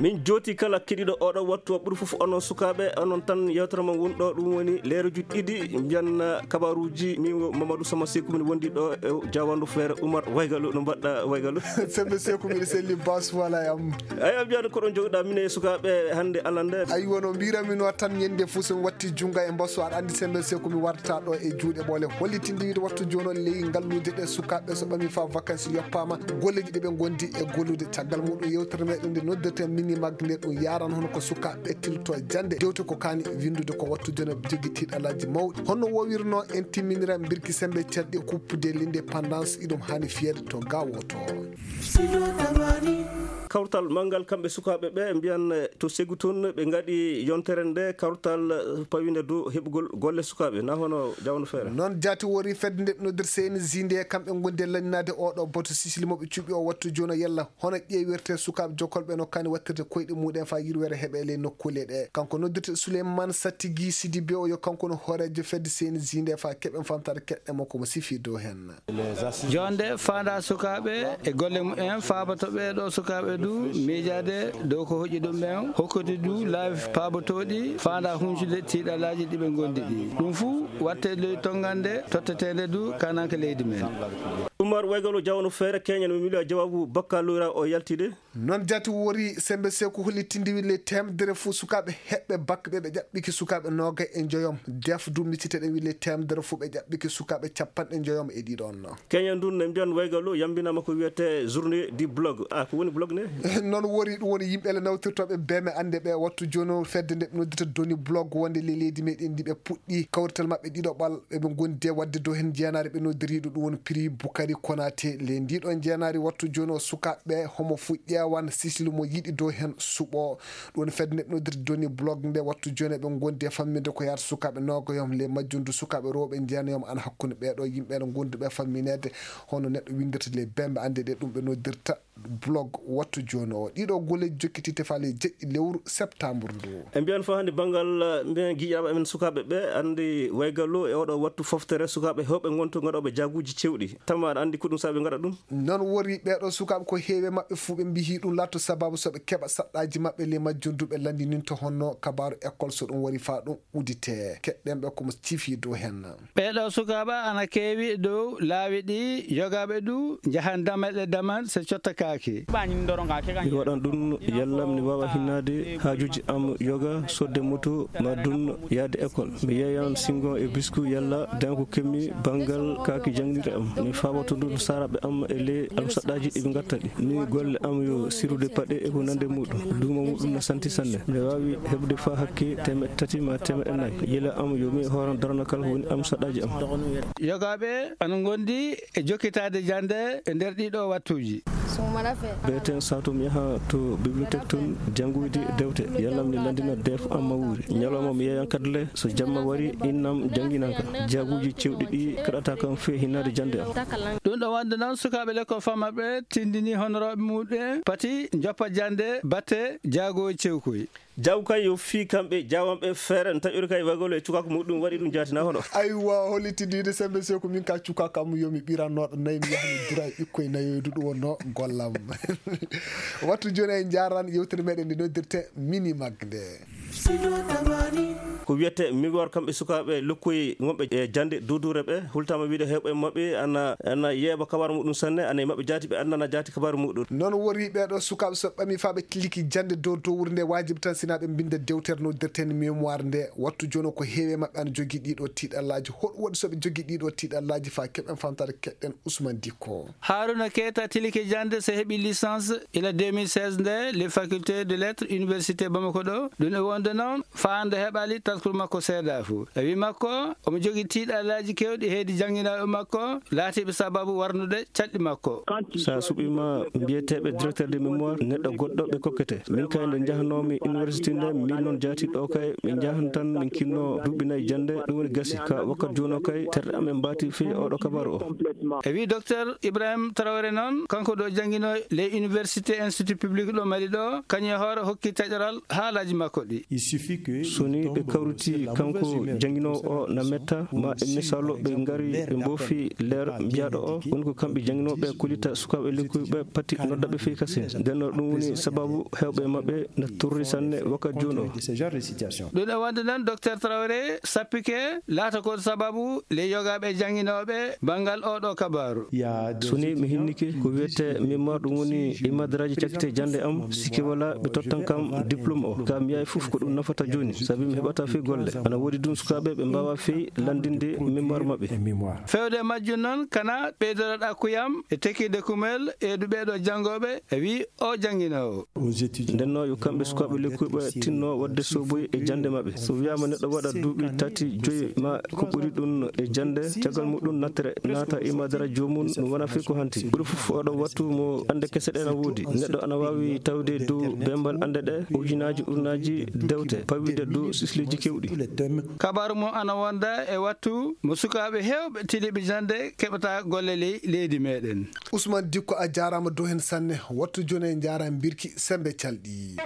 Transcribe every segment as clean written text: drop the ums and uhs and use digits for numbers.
min joti kala keɗiɗo oɗo wattu ɓuuri foof onon sukaɓe onon tan yewtere mon wonɗo ɗum woni leeruji ɗiɗi mbiyan kabaruji min Mamadou Sama Sékou min wondi ɗo e Diawandu Feere Oumar Waygalu no mbaɗɗa Waygalu sembe Sékou miɗa selli bas wala yam eyi mbiyade ko ɗon joguiɗa min e sukaɓe hande alande ayi wono mbiramin tan ñande fo so watti junga e mbasso aɗa andi sembe Sékou mi warta ɗo e juuɗe ɓoole hollitinde wiide wattu joni on ley ngallude ɗe sukaɓe so ɓami fa vacances yoppama golleji ɗeɓe gondi e gollude caggal muɗum yewtere meɗen nde noddete mini maggue nde ɗum yaran hono ko sukaɓe tilto jande dewte ko kani windude ko wattu joni jogui tiɗalaji mawɗi honno wowirno en timminira birki sembe cadɗi kuppude l'indépendance iɗum hani fiyede to gawoto kawtal mangal kamɓe sukaɓe ɓe mbiyan to Sékou toon ɓe gaɗi yontere nde kawtal pawide dow heɓugol golle sukaɓe na hono Diawandu Feere noon jaati wori fedde nde nodder CNJ nde kamɓe gondi e laninade oɗo boto sisili moɓe cuuɓi o wattu joni yalla hono ƴeewirte sukaɓe jokkolɓe no kani wattirde koyɗe muɗum fa yirwere heeɓe ley nokkule ɗe kanko noddirte Souleymane Sattigui Sidibé o yo kanko no hoorejo fedde CNJ nde fa keɓen famtade keɗɗe makko mo sifi dow hen jonde fanda sukaɓe e golle mumen fabatoɓe ɗo sukaɓe du miijade dow ko hoƴƴi ɗum ɓen hokkude du laabi paabotoɗi fanda huncude tiiɗalaji ɗiɓe gondi ɗi ɗum fou watte ley tongande tottetede du kananke leydi men Oumar Waygalu Diawandu Feere keñen mi miilo jawabu bakka lura o yaltide noon jaati wori sembe Sékou hollitinde wi le temedere fo sukaɓe heɓɓe bakke ɓe ƴaɓɓiki sukaɓe nogay e joyom def du micciteɗen wi le temedere fo ɓe ƴaɓɓiki sukaɓe capanɗe joyom e ɗiɗon keñen dun ne mbiyan Waygalu yambinama ko wiyete journée du blog ko woni blog ne noon wori ɗum woni yimɓele nawtirtoɓe beme ande ɓe wattu joni fedde nde ɓe noddita doni blog wonde le leydi meɗen ndi ɓe puɗɗi kawrital mabɓe ɗiɗo ɓal eɓe gondi de wadde dow hen jeenari ɓe noddiriɗo ɗum woni prix Boukari Konaté le ndiɗon jeenari wattu joni o sukaɓe homo fu ƴewan sisili mo yiɗi dow hen suɓo ɗum woni fedde nde ɓe noddita doni blog nde wattu joni ɓe gondi e famminde ko yata sukaɓe nogoyom le majjundu sukaɓe rewɓe jeenayom an hakkude ɓeɗo yimɓe no gondi ɓe famminede hono neɗɗo windirta le bembe ande ɗe ɗum ɓe noddirta blog wattu joni o ɗiɗo golleji jokkitite fa le jeƴƴi lewru septembre ndu e mbiyan fa hande banggal mbiyan guiƴaɓe amen sukaɓe ɓe andi Waygalu e oɗo wattu foftere sukaɓe hewɓe gonto gaɗoɓe jaguji cewɗi tamma aɗa andi ko ɗum saabi gaɗa ɗum noon wori ɓeɗo sukaɓe ko heewe mabɓe fuu ɓe mbihi ɗum latto sababu soɓe keeɓa saɗɗaji mabɓe le majjunduɓe landinin to honno kabaru école so ɗum wari fa ɗum udite keɗɗenɓe komo cifi dow hen ɓeɗo sukaɓe ana keewi dow laawi ɗi yogaɓe du jahan dameɗe daman so cotta kaaki mi waɗan ɗum yallam mi wawa hinnade hajuji am yoga sodde moto ma dun yaade école mi yeeyan singon e bisku yalla danko kemmi banggal kaaki jangdire am mi fawato ɗum saraɓe am e ley am saɗɗaji ɗiɓe gatta ɗi ni golle am yo sirude paɗe e ko nande muɗum duuma muɗum no santi sanne mi wawi heɓde fa hakke 3 ma 4 yila am yo mi horan darana kala ko woni am saɗɗaji am yogaɓe ana gondi e jokkitade jande e nder ɗiɗo wattuji beten sato mi yaha to bibliothèque toon janguyde dewte yallam ni landina def am ma wuuri ñalawma mi yeeyan kadle so jamma wari innam janginanka jaguji cewɗi ɗi kaɗata kam fe hinnade jande am ɗum ɗo wonde noon sukaɓe l'école fammaɓe tindini honoroɓe muɗum pati joppa jande batte jagoji cewkoy jaw kay yo fi kamɓe jawanɓe feere n taƴori kay Waygalu e cukaka muɗum waɗi ɗum jatina hono aywa hollitidide sembe Sékou min ka cukaka am yomi ɓirannoɗo nayyi mi yahami dura e ɓikkoye nayoydu ɗum wonno gollam wattu joni en jaran yewtere meɗen nde noddirte mini maggue nde ko wiyete miwor kamɓe sukaɓe lokkoye wonɓe e jande dudure ɓe hultama wiide hewɓe mabɓe ana yeeɓa kabaru muɗum sanne ana e mabɓe jaati ɓe andana jaati kabaru muɗum noon wori ɓeɗo sukaɓe so ɓami fa ɓe tiliki jande dow dowre nde wajibi tan sina ɓe binda dewtere noddirten mémoire nde wattu joni ko heewe mabɓe ana jogui ɗiɗo tiɗallaji hoɗum waɗi soɓe jogui ɗiɗo tiɗallaji fa keɓen famtade keɗɗen Ousmane Dicko Harouna Keita tiliki jande so heeɓi licence ila 2016 nde les facultés de lettres université Bamako ɗo ɗum e wonde noon fande heɓali taskol makko seeda fou e wi makko omo jogui tiɗallaji kewɗi heedi jangguinaɓe makko laatiɓe sababu warnude caɗɗi makko sa suɓima mbiyeteɓe directeur de mémoire neɗɗo goɗɗo ɓe kokkete min kay nde jahanomi université nde min noon jaati ɗo kay min jahan tan min kinno duuɓi nayyi jande ɗum woni gasi ka wakkat joni o kay terɗe amen mbati fi oɗo kabaru o e wi docteur Ibrahima Traoré noon kanko ɗo jangguino les université institut public ɗo Mali ɗo kañum e hoore hokki taƴoral haalaji makko ɗi soni ɓe kawri ɓuruti kanko janginowo o na metta ma e misalo ɓe ngari ɓe mboofi leer mbiyaɗo o woni ko kamɓe janginoɓe kullita sukaɓe lekkuɓe patti noddaɓe fii kasen nden ɗum woni sababu hewɓe maɓɓe no turri sanne wakkati joni o ɗum e wonde noon docteur Traoré sappike laata ko sababu le yogaɓe janginoɓe banggal oɗo kabaru soni mi hinnike ko wiyete mémoire ɗum woni e madaraji cakkite jande am sikki wala ɓe tottan kam diplôme o ka mi yahi fof ko ɗum nafata joni sabi mi heɓata fi golle ana woodi ɗum sukaɓe ɓe mbawa fi landinde mémoire maɓɓe fewde majjum noon kana ɓeydotoɗa kuyam e tekkide kumel e ɗuɓeɗo jangoɓe e wi o janginowo ndenno yo kamɓe sukaɓe lekkuɓe tinno wadde soboyi e jande maɓɓe so wiyama neɗɗo waɗa duuɓi 3-4 ma ko ɓuri ɗum e jande caggal muɗum nattere naata e madaraji jomum ɗum wona fi ko hanti ɓuri fof oɗo wattu mo ande kese ɗe na woodi neɗɗo ana wawi tawde dow bembal ande ɗe ujunaji dewte pawide dow sisliji kewɗi kabaru mum ana wonda e wattu mo sukaɓe hewɓe tiliɓe jande keɓata golle leydi meɗen. Ousmane Dicko a jarama dow hen sanne wattu joni e jara birki sembe calɗi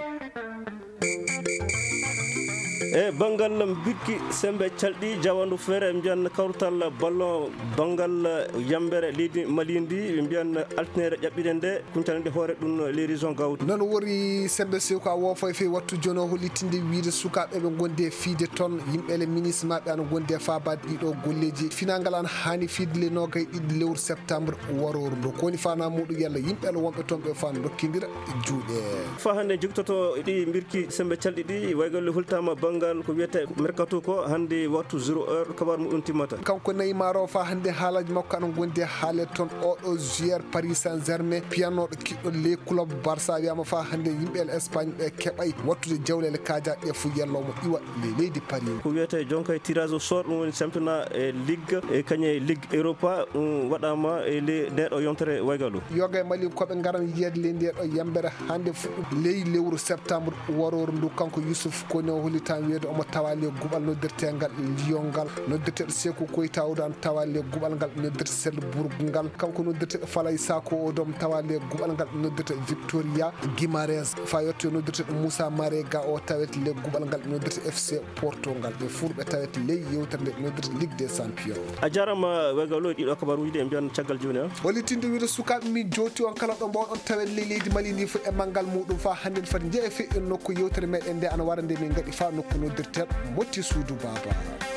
e banggal birki sembe calɗi jawandu feere ɓe mbiyan kawrutal ballon banggal yambere leydi malindi ɓe mbiyan altinere ƴaɓɓire nde kuncalande hoore ɗum les régions gawtu noon wori sembe sew ko a wofo e wattu joni o hollitinde wiide sukaɓe ɓe gondi e fiide toon yimɓele ministre maɓɓe ana gondi e fabade ɗiɗo golleji finangal an hani fiide le nogay ɗiɗi lewru septembre waroru ndu kowoni fana muɗum yalla yimɓele wonɓe toon ɓe fa dokkidira juuɗe fa hande jogtoto ɗi birki sembe calɗi ɗi waygolle hultama banggal ko wiyete mercato ko hande wattu 0 heure kabar muɗum timmata kanko Neymar o fa hande haalaji makko ana gondi e haale toon oɗo joueur Paris Saint-Germain piyanoɗo kiɗɗo les club Barça wiyama fa hande yimɓe Espagne ɓe keɓay wattude jawlele kajaɗe fu yallomo iwa leydi Paris ko wiyete jonka tirage au sort ɗum woni championnat e ligue e kañe ligue europa waɗama e ndeɗo yontere waygalu yoga e Mali koɓe garan yiyede le ndeɗo yambere hande fuɗɗum ley lewru septembre waroru ndu kanko Youssouf Kone o hollitami wiyede omo tawa le guɓal noddirtegal Lyon ngal noddirteɗo Sékou Koita o dan tawa le guɓal ngal noddirte Selbourg ngal kanko noddirteɗo Falay Sako o dom tawa le guɓal ngal noddirte Victoria Guimarães fa yetto noddirteɗo Moussa Marega o tawete le guɓal ngal noddirte FC Porto ngal ɓe furɓe tawete ley yewtere nde noddirte Ligue des Champions a jarama wegalo ɗiɗo kabaruji ɗe mbiyan caggal joni o hollitinde wiide sukaɓe min joti on kala ɗo mbawɗon tawen leydi Mali ndi fu e manggal muɗum fa hande fati jeeya feƴƴon nokku yewtere meɗen nde ana wara nde min gaɗi fa nokku noddirteɗo motti suudu baba